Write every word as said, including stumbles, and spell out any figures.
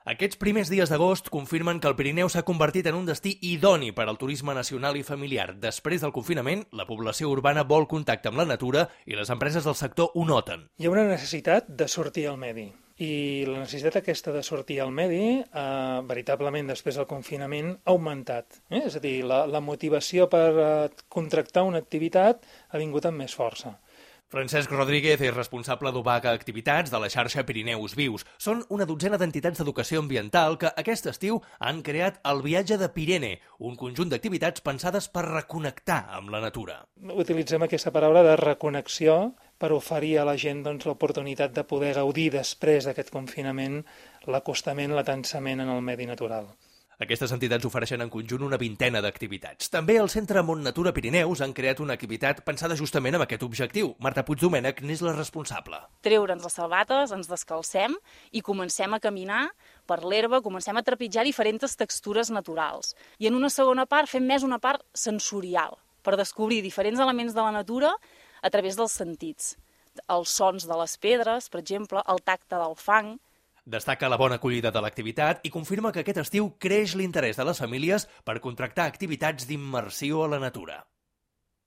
Aquests primers dies d'agost confirmen que el Pirineu s'ha convertit en un destí idoni per al turisme nacional i familiar. Després del confinament, la població urbana vol contacte amb la natura i les empreses del sector ho noten. Hi ha una necessitat de sortir al medi. I la necessitat aquesta de sortir al medi, eh, veritablement després del confinament, ha augmentat. Eh? És a dir, la, la motivació per eh, contractar una activitat ha vingut amb més força. Francesc Rodríguez és responsable d'U B A C Activitats de la xarxa Pirineus Vius. Són una dotzena d'entitats d'educació ambiental que aquest estiu han creat el Viatge de Pirene, un conjunt d'activitats pensades per reconnectar amb la natura. Utilitzem aquesta paraula de reconnexió per oferir a la gent doncs, l'oportunitat de poder gaudir després d'aquest confinament l'acostament, l'atansament en el medi natural. Aquestes entitats ofereixen en conjunt una vintena d'activitats. També al Centre Mont Natura Pirineus han creat una activitat pensada justament amb aquest objectiu. Marta Puigdomènech n'és la responsable. Treure'ns les sabates, ens descalcem i comencem a caminar per l'herba, comencem a trepitjar diferents textures naturals. I en una segona part fem més una part sensorial, per descobrir diferents elements de la natura a través dels sentits. Els sons de les pedres, per exemple, el tacte del fang. Destaca la bona acollida de l'activitat i confirma que aquest estiu creix l'interès de les famílies per contractar activitats d'immersió a la natura.